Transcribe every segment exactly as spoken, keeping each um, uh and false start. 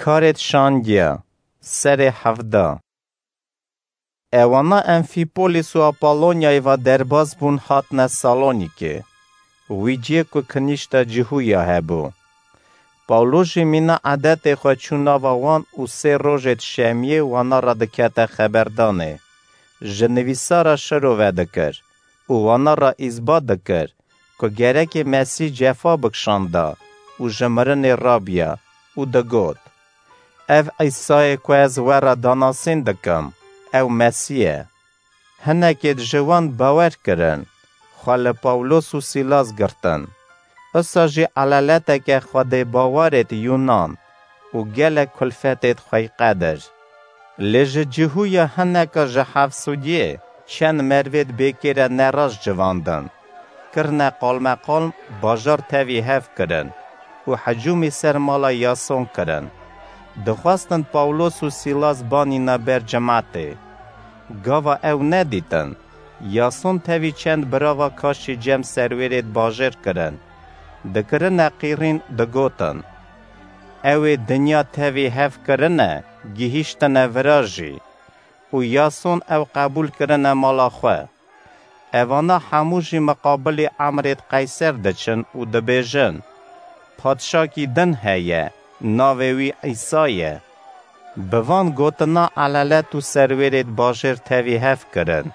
Karêt şandiya, serê hevda. Ewana Enfîpolis û Apolonyayê va derbas bûn, hatine Salonîkê. Wî ciyê ku kinîşta Cihûya hebû. Pawlos jî mîna edetê xwe çû nava wan û sê rojêt şemiyê wana re dikete xeberdanê. Ji nivîsara şiro vedikir û wana re îsbat dikir ku gerekê Mesîh cefa bikişanda û ji mirinê rabiya û digot, "Ev Îsayê ku ez we re danasîn dikim, ew Mesîh e." Hinekêt ji wan bawer kirin, xwe li Pawlos û Sîlas girtin. Usa jî eleleteke xwedêbawerêt Yûnan û gelek kulfetêt xweyqedir. Lê ji Cihûya hineka ji Hefsûdiyê çend mervêt bêkêre nerast civandin. Kirine qalmeqalm, bajar tevî hev kirin û hicûmî ser mala Yason kirin. Dixwestin Pawlos û Sîlas banîna ber cimatê. Gava ew nedîtin, Yason tevî çend birava kaşî cem serwêrêt bajêr kirin. Dikirine qîrîn, digotin, "Ew ê dinya tevî hev kirine, gihîştine vira jî." Û Yason ew qebûl kirine mala xwe. Evana hemû jî miqabilî emrêt Qeyser diçin û dibêjin, "Padşakî din heye, navê wî Îsa ye." Bi van gotina elelet û serwêrêt bajêr tevî hev kirin.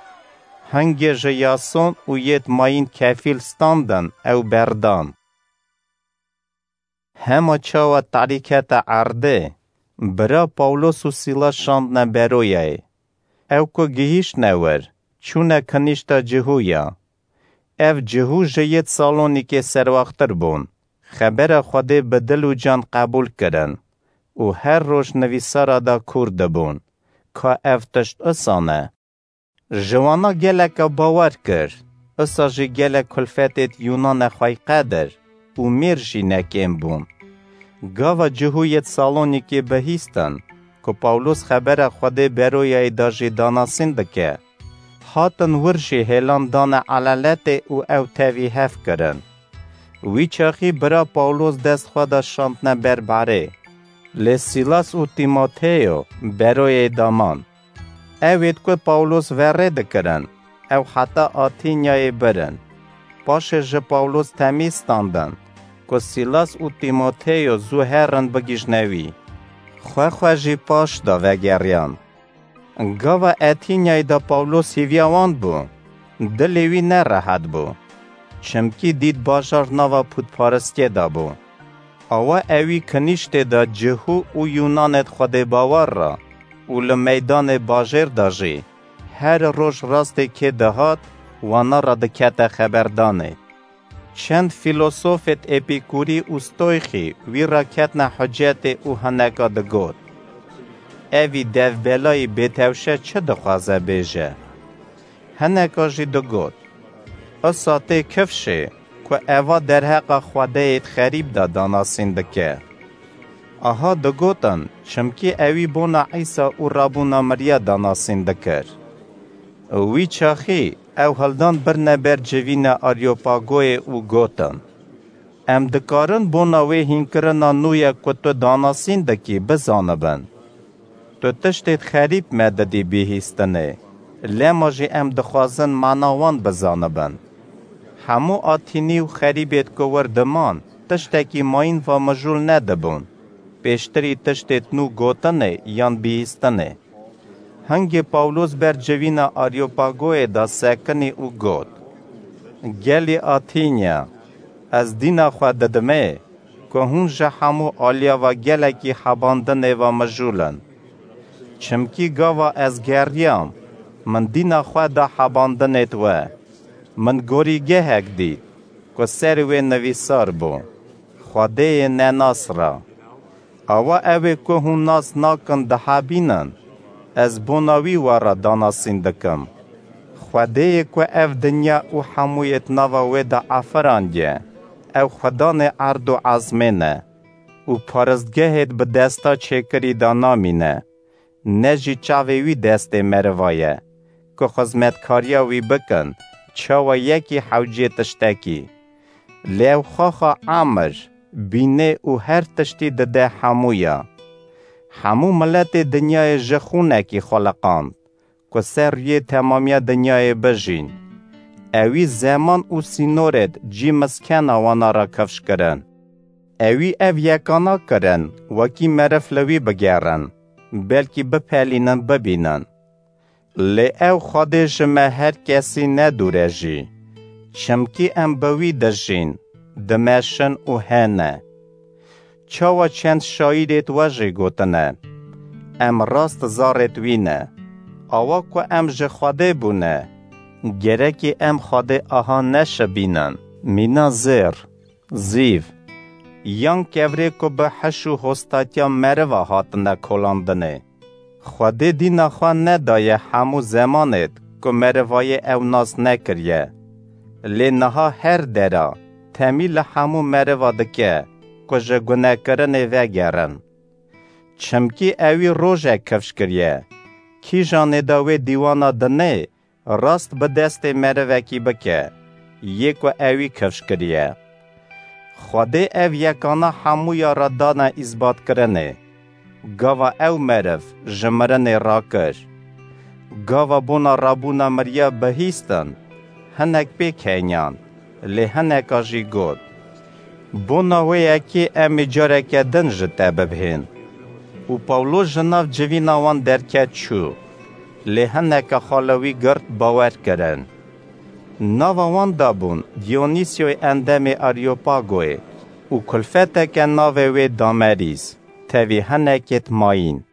Hingê ji Yason û yêt mayîn kefîl standin, ew berdan. Hema çawa tarî kete erdê, bira Pawlos û Sîlas şandine Beroyayê. Ew ku gihîştine wir, çûne kinîşta Cihûya. Ev Cihû ji yêt Salonîkê serwaxtir bûn, xebera Xwedê bi dil û can qebûl kirin û her roj nivîsara da kûr dibûn, ka ev tişt usa ne. Ji wana geleka bawer kir, usa jî gelek kulfetêt Yûnane xweyqedir û mêr jî nekêm bûn. Gava Cihûyêt Salonîkê bihîstin ku Pawlos xebera Xwedê Beroyayê da jî danasîn dike, hatin wir jî hêlan dane eleletê û ew tevî hev kirin. Wî çaxî bira Pawlos dest xwe da şandine ber barê. Lê Sîlas û Tîmoteyo Beroyê da man. Ewêt ku Pawlos verê dikirin, ew heta Atînyayê birin. Paşê ji Pawlos temî standin ku Sîlas û Tîmoteyo zû herin bigihîjne wî. Xwe xwe jî paş da vegeriyan. Gava Atînyayê da Pawlos hîviya wan bû, dilê wî nerehet bû. Çimkî dît bajar nava pûtparistiyê de bû. Awa ewî kinîştê de Cihû û Yûnanêt Xwedê bawer re û li meydanê bajêr de jî her roj rastê kê dihat, wana re dikete xeberdanê. Çend fîlosofêt Epîkûrî û Stoyxî wî re ketine hucetê û hineka digot, "Evî devbelayî bêtewşe çi dixwaze bêje?" Hineka jî digot, "Isa tê kifşê ku eva derheqa xwedeyêt xerîb de danasîn dike." Aha digotin, çimkî ewî bona Îsa û rabûna miriya danasîn dikir. Wî çaxî ew hildan birine ber civîna Aryopagoyê û gotin, "Em dikarin bona wê hînkirina nû ye ku tu danasîn dikî bizanibin. Tu tiştêt xerîb me didî bihîstinê, lema jî em dixwazin mana wan bizanibin. Hemû Atînî û xerîbêt ku wir diman, tiştekî mayîn va mijûl nedibûn, pêştirî tiştêt nû gotinê yan bihîstinê." Hingê Pawlos ber civîna Aryopagoyê da sekinî û got, "Gelî Atînya, ez dîna xwe didimê ku hûn ji hemû aliya ve gelekî hebandinê ve mijûl in. Çimkî gava ez geriyam, min dîna xwe da hebandinêt we. Min gorîgehek dît ku ser wê nivîsar bû, 'Xwedêyê nenas ra.' Awa ewê ku hûn nas nakin dihebînin, ez bona wî we re danasîn dikim. Xwedêyê ku ev dinya û hemûyêt nava wê de afirandiye, ew Xudanê erd û ezmên e û paristgehêt bi desta çêkirî de namîne, ne jî çavê wî destê meriva ye, ku xizmetkariya wî bikin, çawa yekî hewcê tiştekî. Lê ew xaxa emir, bînê û her tiştî dide hemûya. Hemû miletê dinyayê ji xûnekî xuliqand, ku ser rûyê temamiya dinyayê bijîn. Ewî zeman û sînorêd cî miskena wana re kifş kirin. Ewî ev yekana kirin, wekî meriv li wî bigerin, belkî bipelînin, bibînin. Lê ew Xwedê ji me her kesî nedûre jî, çimkî em bi wî dijîn, dimeşin û hene. Çawa çend şaîrêt we jî gotine, em rast zarêt wî ne. Awa ku em ji Xwedê bûne, gerekî em Xwedê aha neşibînin. Mîna zêr, zîv, yan kevirê ku bi hiş û hostatiya meriva hatine kolandinê. Xwedê dîna xwe nedaye hemû zemanêd ku merivayê ew nas nekiriye. Lê niha her dera temî li hemû meriva dike ku ji gunekirinê vegerin. Çimkî ewî rojek kifş kiriye. Kîjanê de wê dîwana dinê rast bi destê merivekî bike, yê ku ewî kifş kiriye. Xwedê ev yekana hemûya re dane îsbatkirinê. Gava ew meriv ji mirinê rakir. Gava bona rabûna miriya bihîstin, hinek pêk heniyan, lê hineka jî got. Bona wê yekê em ê careke din ji te bibihên. Û Pawlo ji nav civîna wan derket çû, lê hineke xwe li wî girt bawer kirin. Nava wan de bûn Dionîsyoyê endemê Areopagoyê û kulfeteke navê wê Damerîs, tevî hinekêt mayîn.